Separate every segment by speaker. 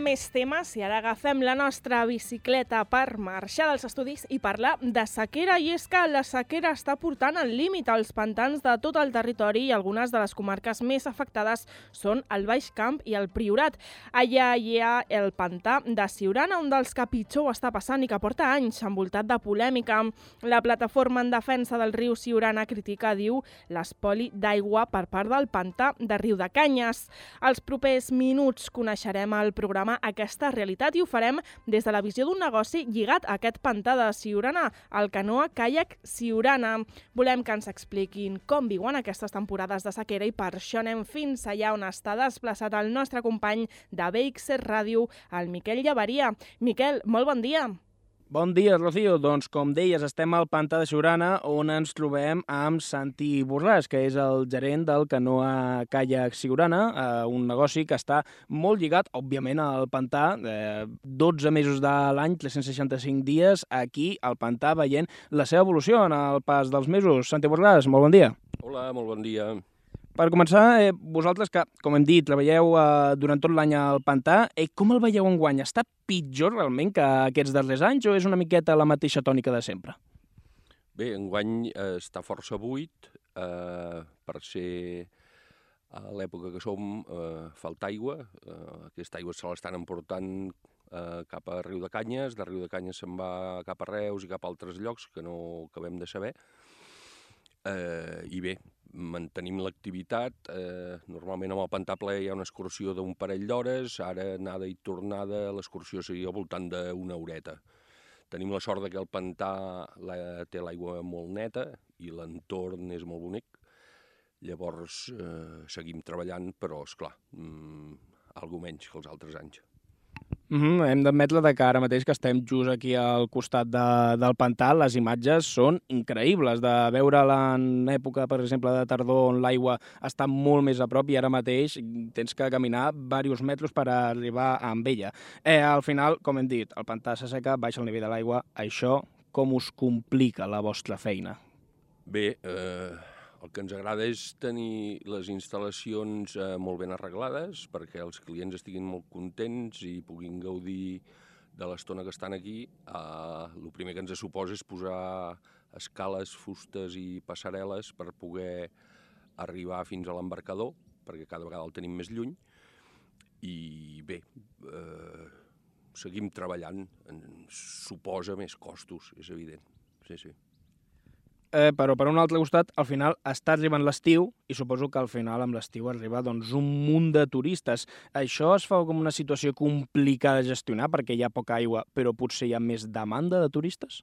Speaker 1: més temes i ara agafem la nostra bicicleta per marxar dels estudis i parlar de sequera. I és que la sequera està portant al límit els pantans de tot el territori i algunes de les comarques més afectades són el Baix Camp i el Priorat. Allà hi ha el pantà de Siurana, un dels que pitjor ho està passant i que porta anys envoltat de polèmica. La plataforma en defensa del riu Siurana critica, diu, l'espoli d'aigua per part del pantà de Riudecanyes. Els propers minuts coneixerem al programa aquesta realitat i ho farem des de la visió d'un negoci lligat a aquest pantà de Siurana, el Canoa Kayak Siurana. Volem que ens expliquin com viuen aquestes temporades de sequera i per això anem fins allà on està desplaçat el nostre company de BXR Ràdio, el Miquel Llaveria. Miquel, molt bon dia.
Speaker 2: Bon dia, Rocío. Doncs, com deies, estem al pantà de Siurana, on ens trobem amb Santi Borràs, que és el gerent del Canoa Kayak Siurana, un negoci que està molt lligat, òbviament, al pantà. 12 mesos de l'any, 365 dies, aquí, al pantà, veient la seva evolució en el pas dels mesos. Santi Borràs, molt bon dia.
Speaker 3: Hola, molt bon dia.
Speaker 2: Per començar, vosaltres que, com hem dit, treballeu durant tot l'any al pantà, com el veieu enguany? Està pitjor realment que aquests darrers anys o és una miqueta la mateixa tònica de sempre?
Speaker 3: Bé, enguany està força buit. Per ser a l'època que som, falta aigua. Aquesta aigua se l'estan emportant cap a Riudecanyes. De Riudecanyes se'n va cap a Reus i cap a altres llocs que no acabem de saber. I bé, mantenim l'activitat. Normalment amb el pantà ple hi ha una excursió d'un parell d'hores, ara anada i tornada l'excursió seria al voltant d'una horeta. Tenim la sort que el pantà té l'aigua molt neta i l'entorn és molt bonic. Llavors seguim treballant, però esclar, algo menys que els altres anys.
Speaker 2: Hem d'admetre que ara mateix que estem just aquí al costat del pantà, les imatges són increïbles, de veure-la en època, per exemple, de tardor, on l'aigua està molt més a prop i ara mateix tens que caminar diversos metres per arribar amb ella. Al final, com hem dit, el pantà s'asseca, baixa el nivell de l'aigua. Això com us complica la vostra feina?
Speaker 3: Bé, el que ens agrada és tenir les instal·lacions molt ben arreglades perquè els clients estiguin molt contents i puguin gaudir de l'estona que estan aquí. El primer que ens suposa és posar escales, fustes i passarel·les per poder arribar fins a l'embarcador, perquè cada vegada el tenim més lluny. I bé, seguim treballant, ens suposa més costos, és evident. Sí.
Speaker 2: Però per un altre costat, al final està arribant l'estiu i suposo que al final amb l'estiu arriba doncs, un munt de turistes. Això es fa com una situació complicada de gestionar perquè hi ha poca aigua, però potser hi ha més demanda de turistes?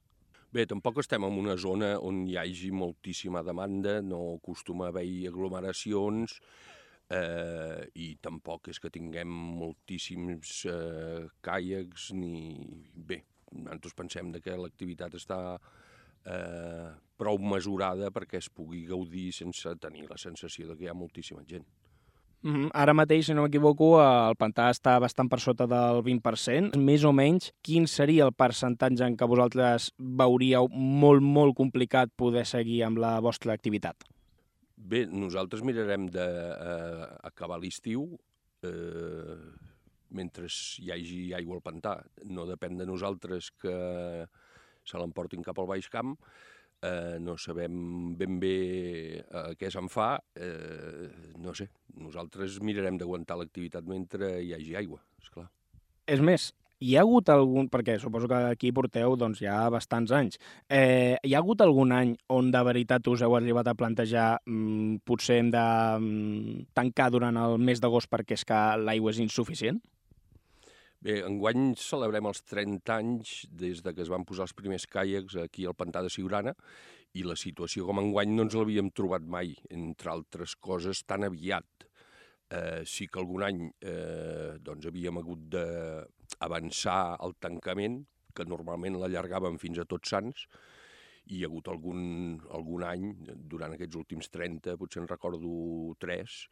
Speaker 3: Bé, tampoc estem en una zona on hi hagi moltíssima demanda, no acostuma a haver-hi aglomeracions i tampoc és que tinguem moltíssims caiacs ni... Bé, nosaltres pensem que l'activitat està prou mesurada perquè es pugui gaudir sense tenir la sensació que hi ha moltíssima gent.
Speaker 2: Ara mateix, si no m'equivoco, el pantà està bastant per sota del 20%. Més o menys, quin seria el percentatge en què vosaltres veuríeu molt complicat poder seguir amb la vostra activitat?
Speaker 3: Bé, nosaltres mirarem d'acabar l'estiu mentre hi hagi aigua al pantà. No depèn de nosaltres que se l'emportin cap al Baix Camp, no sabem ben bé què se'n fa, no sé, nosaltres mirarem d'aguantar l'activitat mentre hi hagi aigua, esclar.
Speaker 2: És més, hi ha hagut algun, perquè suposo que aquí porteu doncs, ja bastants anys, hi ha hagut algun any on de veritat us heu arribat a plantejar potser hem de tancar durant el mes d'agost perquè és que l'aigua és insuficient?
Speaker 3: Bé, enguany celebrem els 30 anys des que es van posar els primers caiacs aquí al pantà de Siurana i la situació com enguany no ens l'havíem trobat mai, entre altres coses, tan aviat. Sí que algun any doncs havíem hagut d'avançar el tancament, que normalment l'allargàvem fins a Tots Sants, i hi ha hagut algun any, durant aquests últims 30, potser en recordo 3,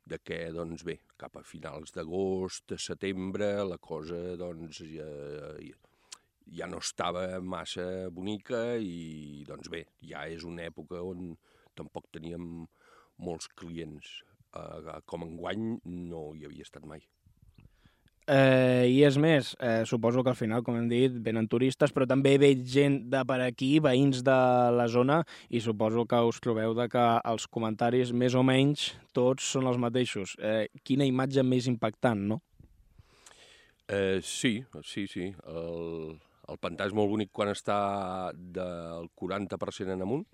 Speaker 3: de que, doncs bé, cap a finals d'agost, setembre, la cosa, doncs, ja no estava massa bonica i, doncs bé, ja és una època on tampoc teníem molts clients. Com enguany no hi havia estat mai.
Speaker 2: I és més, suposo que al final, com hem dit, venen turistes, però també ve gent de per aquí, veïns de la zona, i suposo que us trobeu que els comentaris més o menys tots són els mateixos. Quina imatge més impactant, no?
Speaker 3: Sí. El pantà és molt bonic quan està del 40% en amunt.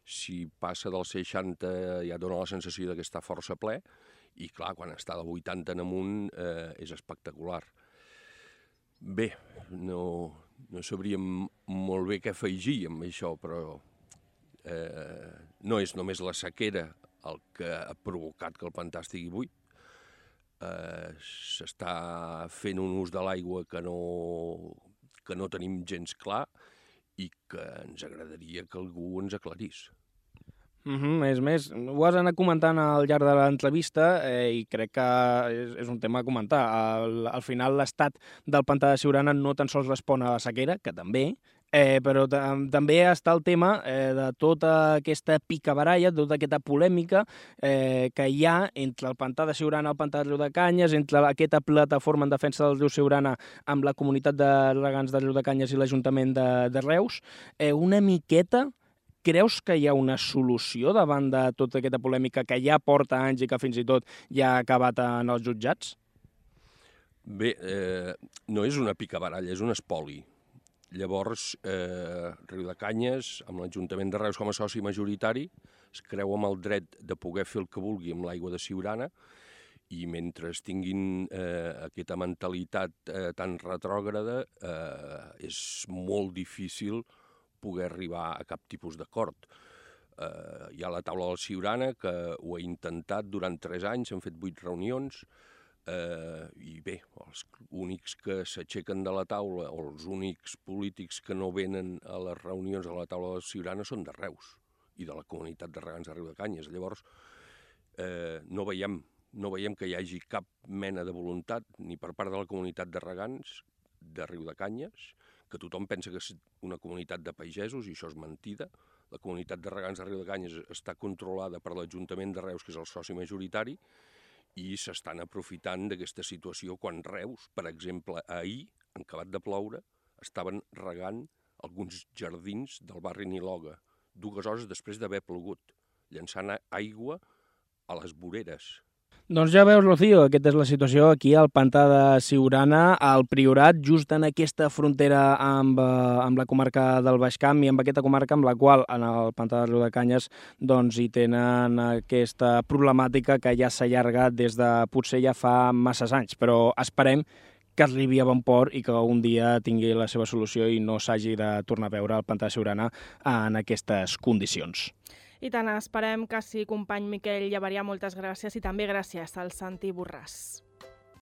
Speaker 3: Si passa del 60 ja dona la sensació que està força ple, i clar, quan està del 80 en amunt és espectacular. Bé, no sabríem molt bé què afegir amb això, però no és només la sequera el que ha provocat que el pantà estigui buit. S'està fent un ús de l'aigua que no tenim gens clar i que ens agradaria que algú ens aclarís.
Speaker 2: És més, ho has anat comentant al llarg de l'entrevista i crec que és un tema a comentar. Al final, l'estat del pantà de Siurana no tan sols respon a la sequera, que també, però també està el tema de tota aquesta picabaralla, tota aquesta polèmica que hi ha entre el pantà de Siurana i el pantà de Riudecanyes, entre aquesta plataforma en defensa del riu Siurana amb la comunitat de regants de Riudecanyes i l'Ajuntament de Reus. Una miqueta, creus que hi ha una solució davant de tota aquesta polèmica que ja porta anys i que fins i tot ja ha acabat en els jutjats?
Speaker 3: Bé, no és una picabaralla, és un espoli. Llavors, Riudecanyes, amb l'Ajuntament de Reus com a soci majoritari, es creu amb el dret de poder fer el que vulgui amb l'aigua de Siurana, i mentre tinguin aquesta mentalitat tan retrògrada, és molt difícil poder arribar a cap tipus d'acord. Hi ha la taula del Siurana, que ho ha intentat durant 3 anys, s'han fet 8 reunions, i bé, els únics que s'aixequen de la taula, o els únics polítics que no venen a les reunions de la taula del Siurana són de Reus i de la comunitat de regants de Riudecanyes. Llavors, no veiem que hi hagi cap mena de voluntat, ni per part de la comunitat de regants de Riudecanyes, que tothom pensa que és una comunitat de pagesos, i això és mentida. La comunitat de regants de Riudecanyes està controlada per l'Ajuntament de Reus, que és el soci majoritari, i s'estan aprofitant d'aquesta situació quan Reus, per exemple, ahir, en acabat de ploure, estaven regant alguns jardins del barri Niloga, 2 hores després d'haver plogut, llançant aigua a les voreres.
Speaker 2: Doncs ja veus, Rocío, aquesta és la situació aquí al pantà de Siurana, al Priorat, just en aquesta frontera amb la comarca del Baix Camp i amb aquesta comarca amb la qual, en el pantà de Riudecanyes, doncs hi tenen aquesta problemàtica que ja s'ha allargat des de potser ja fa masses anys, però esperem que arribi a bon port i que un dia tingui la seva solució i no s'hagi de tornar a veure el pantà de Siurana en aquestes condicions.
Speaker 1: I tant, esperem que sí, company Miquel Llaverià, moltes gràcies, i també gràcies al Santi Borràs.